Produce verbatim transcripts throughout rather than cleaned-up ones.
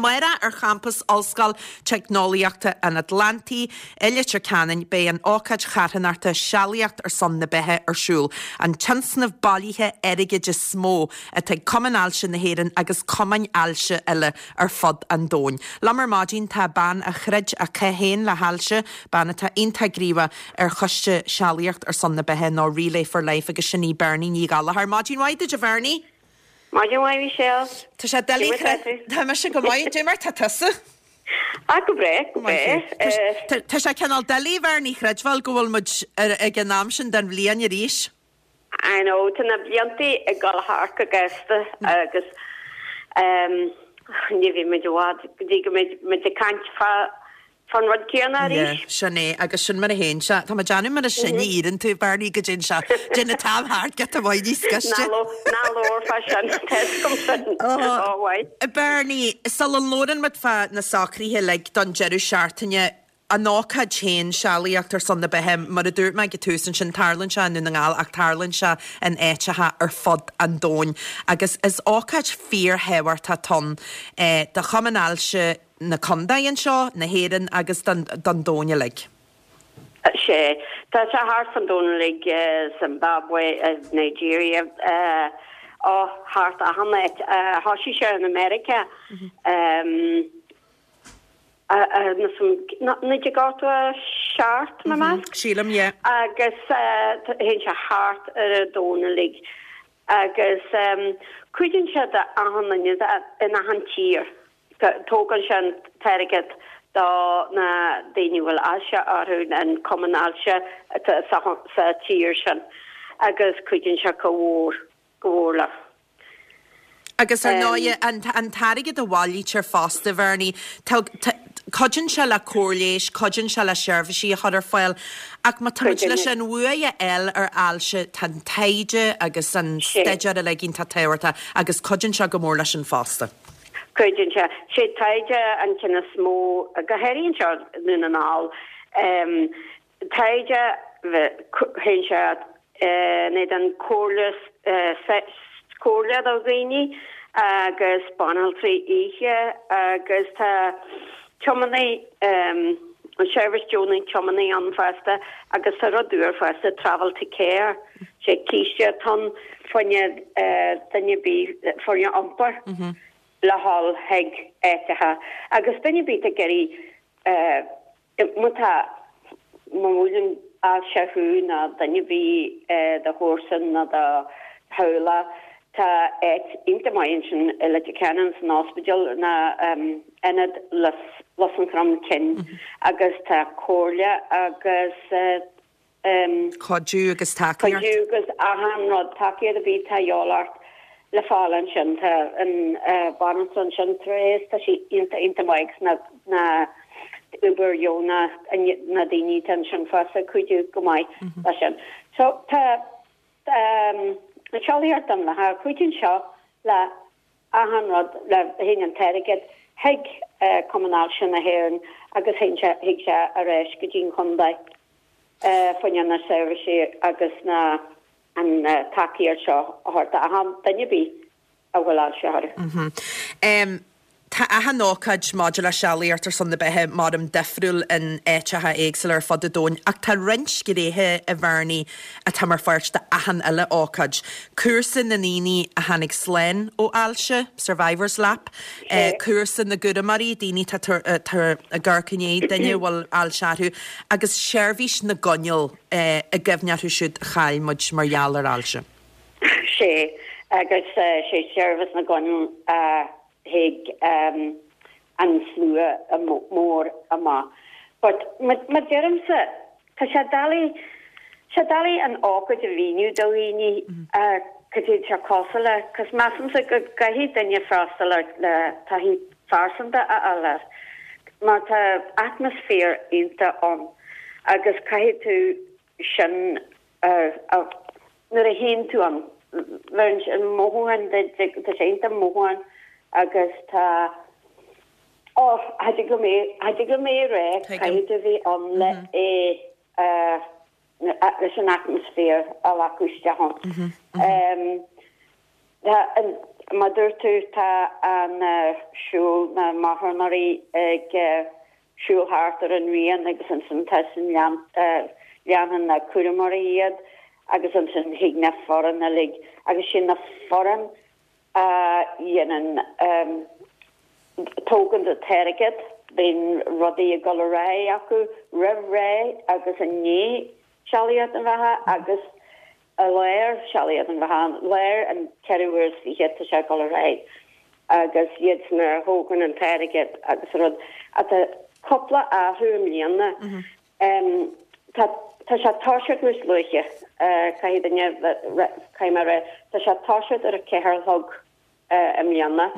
Amárach ar champas Ollscoil Teicneolaíochta an Atlantaigh i Leitir Ceanainn beidh an ócáid charthanachta Sealaíocht ar son na Beatha ar siúl. An tionscnamh bailithe airgid is mó atá ag Cumann Ailse na hÉireann agus cumainn ailse eile ar fud an domhain. Liom ar maidin tá bean a throid a cath féin le hailse, bean atá iontach gníomhach ar choiste Sealaíocht ar son na Beatha nó Relay for Life agus sin í Bernie Ní Ghallchóir. Maidin mhaith duit a Bhernie? Maidin mhaith Michelle. Tá sé doiligh Tá mise go maith cad é mar tá tusa. A go breá go breá. Tá sé cineál doiligh Bernie a chreidbheáil go bhfuil muid ag an am sin den bhliain arís. I know tá na blianta ag dul thart go gasta agus um, ní bhí muid i bhfad go dtí go mbeidh muid ag caint fá fan rud céanna arís. Sin é agus sin mar a théann sé Tá déanamh mar a sinne iarrann tú Bernie go dtéann sé Déan tam thart get a bhaid scoiste. Ná labhair fá sin sin Bernie sula labhrann muid fá na socruithe le don deireadh seachtaine an ócáid féin Sealaíocht ar son na Beatha mar a dúirt mé ag an tús ansin tarlaíonn sé i nDún na nGall ach tarlaíonn sé in áiteacha ar fud an domhain. agus is ócáid fíorthábhachtach ann eh, do Chumann Ailse na contae anseo na hÉireann agus don, don domhan uilig. Sé Tá sé thart fan domhan uilig Zimbabwe Nigeria uh, ó thart achan áit thosaigh sé in America. Um, naoi déag ochtó seacht má meas. Sílim yeah. agus théann sé thart ar an domhan uilig agus um, cuidíonn sé de achan duine in achan tír. Tógann sé an t-airgead do na daoine bhfuil ailse orthu an cumann ailse sa tír sin agus cuidíonn sé go mór go mór le. Agus ar ndóigh an an t-airgead a bhailítear fosta Bernie cuidíonn sé le cóir leighis, cuidíonn sé le seirbhísí a chur ar fáil ach má tá leis an bhua a fháil ar ailse tá an taighde agus an staidéar uilig iontach tábhachtach agus cuidíonn sé go mór leis an fosta. Cuidíonn sé sé taighde an ceann is mó go háirithe seo i nDún na nGall taighde théann sé ní an comhairle comhairle do dhaoine agus banaltraí oíche agus tá tiománaí um, an seirbhís deonaí tiománaí ann fosta agus tá rud úr fosta travel to care sé cíiste ton fuine duine bí foirne iompar mm -hmm. le hál heig éitethe agus duine bí a gerí má tá má bhuaileann ailse thú ná duine bí do chomharsan ná do theaghlach tá áit iontach maith sin i Leitir Ceanainn san ospidéal na um, ionad Lus an Chromchinn mm -hmm. agus tá comhairle agus uh, um, Cuidiú agus tacaíocht Cuidiú agus achan rud tacaíocht a bhí tá eolart le fáil ansin tá an uh, banaltra ansin tréis tá sí iontach iontach maith na na obair dheonach na daoine tan sin fosta cuidiú go maith mm -hmm. leis sin. So tá um, na Sealaíocht don Bheatha cuidíonn seo le achan rud le théann an t-airgead chuig uh, Cumann Ailse na hÉireann agus théann sé chuig sé arís go dtí an chontae uh, faoin na seirbhísí agus na an uh, tacaíocht seo a thabhairt achan duine bí a bhfuil ailse orthu. Mm -hmm. um, Tá achan ócáid maidir le Sealaíocht ar son na Beatha mar am difriúil in áiteacha éagsúla ar fud an domhain, ach tá roinnt gnéithe a Bhernie atá mar pháirt de achan uile ócáid. Cúrsa na ndaoine a tháinig slán ó ailse, Survivors Lap, eh, cúrsa na gcúramóirí daoine tá ag amharc i ndiaidh duine bhfuil ailse orthu, agus seirbhís na gcoinneal eh, i gcuimhne orthu siúd a chaill muid mar gheall ar ailse. Sé agus uh, sé seirbhís na gcoinneal uh, chuig um, an slua mór amach. But ma deirimse tá sé doiligh sé doiligh an ócáid a mhíniú do dhaoine cad é sé cosúil le, cos measaimse go gcaithfidh duine freastal le taithí phearsanta a fháil air. Mar tá atmaisféar iontach ann agus caithfidh tú sin uh, nuair a théann tú ann an mothúchán tá sé iontach mothúchán agus tá ó go mé go mé ré caithfidh tú bheith ann le é leis an atmaisféar a ghlacadh isteach. Mar dúirt tú tá an siúl na marthanóirí ag siúl thart ar an rian agus ansin tá sin leanann na cúramóirí iad agus ansin thig na foireann uilig agus sin na foireann a dhéanann tógann an t-airgead bíonn rudaí ag dul ar aghaidh acu roimh ré agus i ndiaidh Sealaíocht na Beatha agus i lár Sealaíocht na Beatha lár an ceathrú uair is fiche tá sé ag dul ar aghaidh agus iad san a thógann an t-airgead agus rud atá cúpla athrú i mbliana. Tá tá sé toiseacht níos luaithe caithfidh duine caithfidh mé a rá tá sé toiseacht ar a ceathair a chlog i mbliana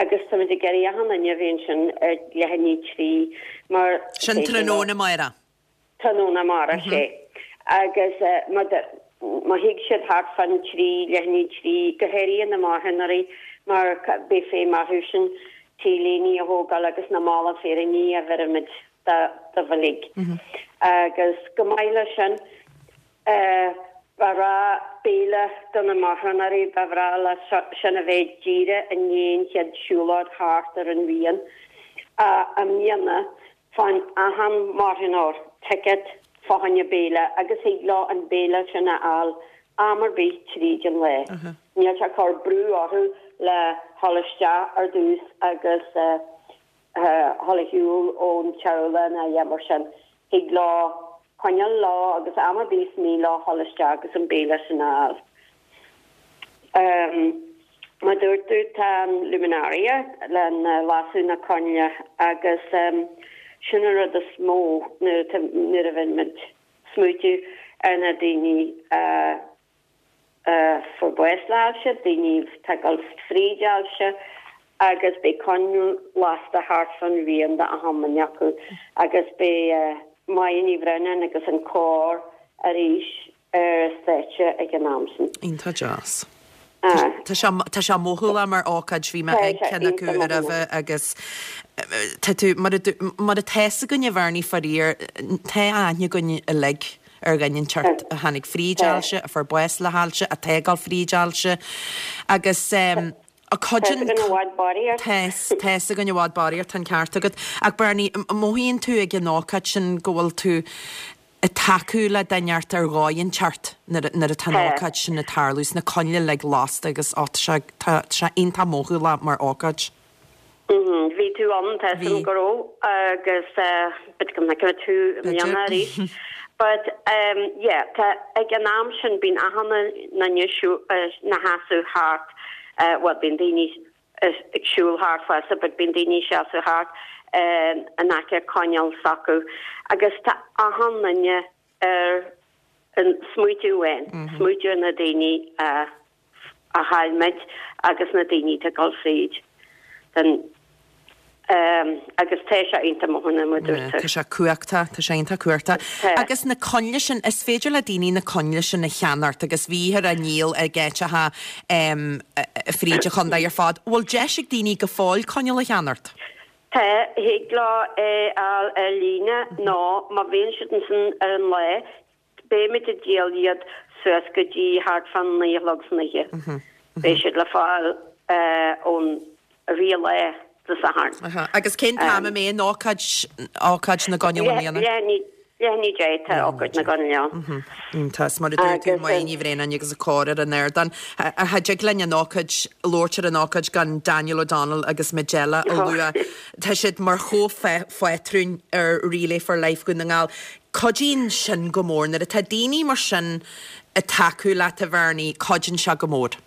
agus táimid ag iarraidh achan duine a bheith ansin ar leath i ndiaidh trí mar Sin tráthnóna amárach. Tráthnóna amárach sé. Agus má má thig siad thart fan trí, leath i ndiaidh trí, go háirithe na marthanóirí mar beidh feidhm orthu sin t-léiní a thógáil agus na mála féiríní a bheirimid dóibh uilig. Agus go maith leis sin, ba bhreá béile do na marthanóirí, ba bhreá le sin a bheith díreach i ndiaidh an chéad siúlóid thart ar an rian. I mbliana, faigheann achan marthanóir ticket fá choinne béile agus thig leo an béile sin a fháil am ar bith tríd an lae. Níl sé ag cur brú orthu le dhul isteach ar dtús agus dhul ar shiúl ón teaghlach ná a dhath mar sin. Thig leo coinneáil leo agus am ar bith is mian leo dhul isteach agus an béile sin a fháil. Mar dúirt tú tá an luminaria le lasadh na coinnle agus sin an rud is mó nuair a bhíonn muid smaoitiú ar na daoine a fuair bás le hailse, daoine atá ag dul fríd ailse agus beidh coinneal lasta thart fán rian d'achan duine acu agus beidh Máire Ní Bhraonáin agus an cór arís ar an stáitse ag an am sin. Iontach deas. Tá sé tá sé mothúlach mar ócáid, bhí mé ag ceann acu roimhe agus tá tú mar mar atá fhios againn a Bhernie faraor, tá aithne againn uilig ar dhuine inteacht a tháinig fríd ailse, a fuair bás le hailse, atá ag dul fríd ailse agus a cuidíonn Tá i bhfad barraíocht. Tá tá fhios againn i bhfad barraíocht, tá an ceart agat. Ach Bernie, mothaíonn tú ag an ócáid sin go bhfuil tú ag tacú le duine inteacht ar dhóigh inteacht nuair nuair atá an ócáid sin ag tarlú, is na coinnle uilig lasta agus ó tá sé tá sé iontach mothúlach mar ócáid. Bhí tú ann tá fhios agam go raibh agus b'fhéidir go bhfeicfidh tú i mbliana arís. But um yeah tá ag an am sin bíonn achan duine ina sheasamh thart bhuel bíonn daoine ag siúl thart fosta but bíonn daoine ag seasamh thart in aice coinneal s'acu agus tá achan duine ar an smaoitiú amháin, smaoitiú ar na daoine a a chaill muid agus na daoine atá ag dul fríd den agus tá sé iontach mothúlach mar dúirt tú. Tá sé cumhachtach, tá sé iontach cumhachtach. Agus na coinnle sin, is féidir le daoine na coinnle sin a cheannacht agus bhíthear á ndíol ag áiteacha fríd an chontae ar fad. Bhfuil deis ag daoine go fóill coinneal a cheannacht? Tá, thig leo é a fháil ar líne nó má bhíonn siad ansin ar an lá, beimid ag díol iad suas go dtí thart fán naoi a chlog san oíche. Beidh siad le fáil ón rith an lae Dé Sathairn. Agus cén t-am a mbeidh an ócáid, ócáid na gcoinneal i mbliana? Leath i ndiaidh a deich tá ócáid na gcoinneal ann. Iontach, is mar a dúirt tú, Máire Ní Bhraonáin agus an cór ar an ardán. Cha dtig linn an ócáid, labhairt ar an ócáid gan Daniel O'Donnell agus Majella a lua. Tá siad mar chomhphátrúin ar Relay for Life Dhún na nGall. Cuidíonn sin go mór. Nuair atá daoine mar sin ag tacú leat a Bhernie, cuidíonn sé go mór.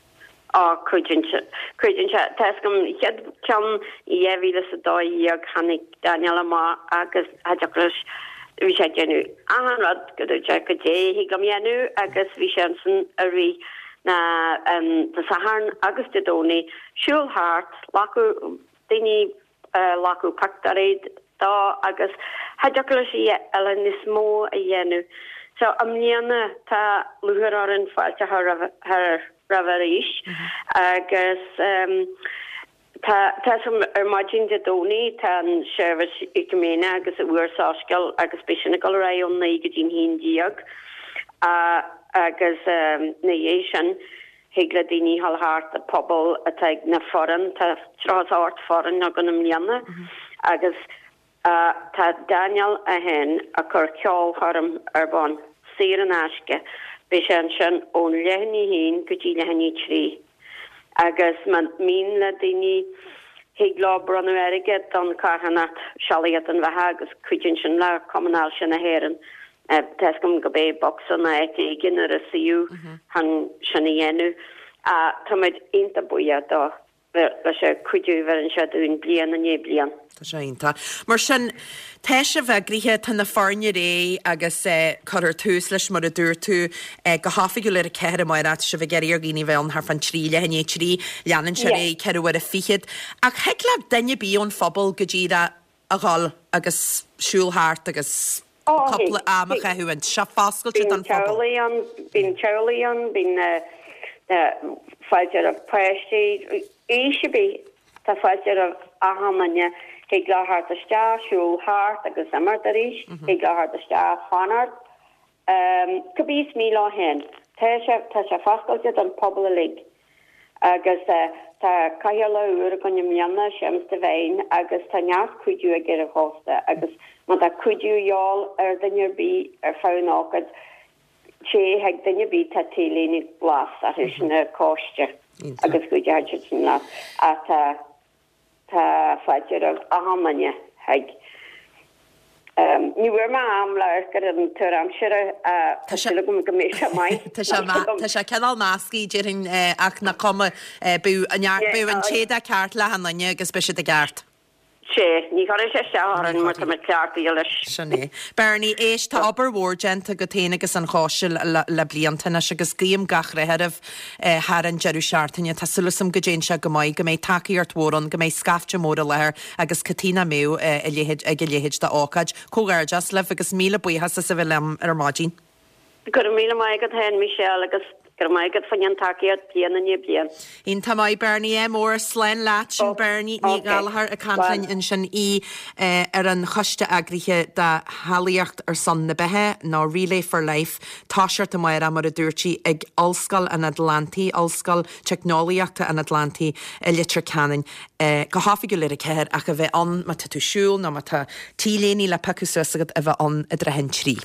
Á, cuidíonn sé. Cuidíonn sé. Tá fhios agam, chéad ceann i dhá mhíle is a dó dhéag tháinig Daniel amach agus cha dtiocfadh leis, bhí sé ag déanamh achan rud go dúirt sé goidé a thig liom dhéanamh agus bhí sé ansin i rith na, Dé Sathairn agus Dé Domhnaigh, siúl thart, glacadh daoine, glacadh pictiúirí dó agus cha dtiocfadh leis a dhath eile níos mó a dhéanamh. So i mbliana tá lúcháir orainn fáilte a chur roimhe arís agus tá tá fhios agam ar maidin Dé Domhnaigh tá an seirbhís Ecuméine agus uair soiscéil agus beidh sin ag dul ar aghaidh ón naoi go dtí'n haon déag agus ina dhiaidh sin Thig le daoine dhul thart an pobal atá ag na foireann, tá tríocha is a hocht foireann againn i mbliana agus tá Daniel é féin ag cur ceolchoirm ar bun, saor in aisce. Beidh sé ansin ón leath i ndiaidh a haon go dtí leath i ndiaidh a trí agus má mian le daoine thig leo bronnadh airgead don charthanacht Sealaíocht don Bheatha agus cuidíonn sin le Cumann Ailse na hÉireann. Tá fhios agam go mbeidh bocsa nó áit éigin ar an suíomh chun sin a dhéanamh. Táimid iontach buíoch dó leis an cuidiú a bheireann sé dúinn bliain i ndiaidh bliain. Tá sé iontach. Mar sin, tá sibh eagraithe, tá na foirne réidh agus cuirfear tús leis mar a dúirt tú go hoifigiúil ar a ceathair amárach, tá sibh ag iarraidh ar dhaoine a bheith ann thart fán trí, leath i ndiaidh a trí, leanann sé ar aghaidh ceithre uaire fichead. Ach thig le duine ar bith ón phobal go díreach a dhul agus siúl thart agus cúpla am a chaitheamh ann. Tá sé foscailte don phobal. Bíonn teaghlaigh ann, bíonn teaghlaigh ann, bíonn fáilte roimh páistí, aois ar bith, tá fáilte roimh achan duine. Thig leo theacht isteach, siúl thart agus imeacht arís, thig leo theacht isteach, fanacht. Cibé is mian leo féin. Tá sé, tá sé foscailte don phobal uilig. Agus tá cathaoirleach úr againn i mbliana, Séamus Devine, agus tá neart cuidiú aige ar an chóiste agus má tá cuidiú a dhíobháil ar duine ar bith ar feadh an ócáid, téigh chuig duine ar bith tá t-léine glas orthu sin ar coiste agus cuideoidh siad sin leat. Ach tá Tá fáilte roimh achan duine chuig. Ní bhfuair mé am le amharc ar an tuar aimsire ach tá súil agam go mbeidh sé maith. Tá sé tá sé cineál measctha déarfainn ach nach cuma beidh an beidh an t-éadach ceart le achan duine agus beidh siad i gceart. Sea, ní chuirfidh sé isteach orainn mar tá muid cleachtaithe leis. Sin é. Bernie, éist, tá obair mhór déanta agat féin agus an choiste le blianta anois agus guím gach rath oraibh thar an deireadh seachtaine. Tá súil agam go dtéann sé go maith, go mbeidh tacaíocht mhór ann, go mbeidh scaifte mór i láthair agus cad chuige nach mbeadh a leithéid ag a leithéid d'ócáid. Comhghairdeas libh agus míle buíochas as a bheith liom ar maidin. Go raibh míle maith agat féin, Michelle, agus go raibh maith agat faoin tacaíocht bliain i ndiaidh bliain. Iontach maith, Bernie. Ádh mór. Slán leat. Sin Bernie Ní Ghallchóir ag caint linn ansin í ar an choiste eagraithe de Shealaíocht ar son na Beatha nó Relay for Life. Toiseacht amárach mar a dúirt sí ag Ollscoil an Atlantaigh, Ollscoil Teicneolaíochta an Atlantaigh i Leitir Ceanainn go hoifigiúil ar a ceathair ach a bheith ann má tá tú ag siúl nó má tá t-léine le piocadh suas agat a bheith ann i dtrátha an trí.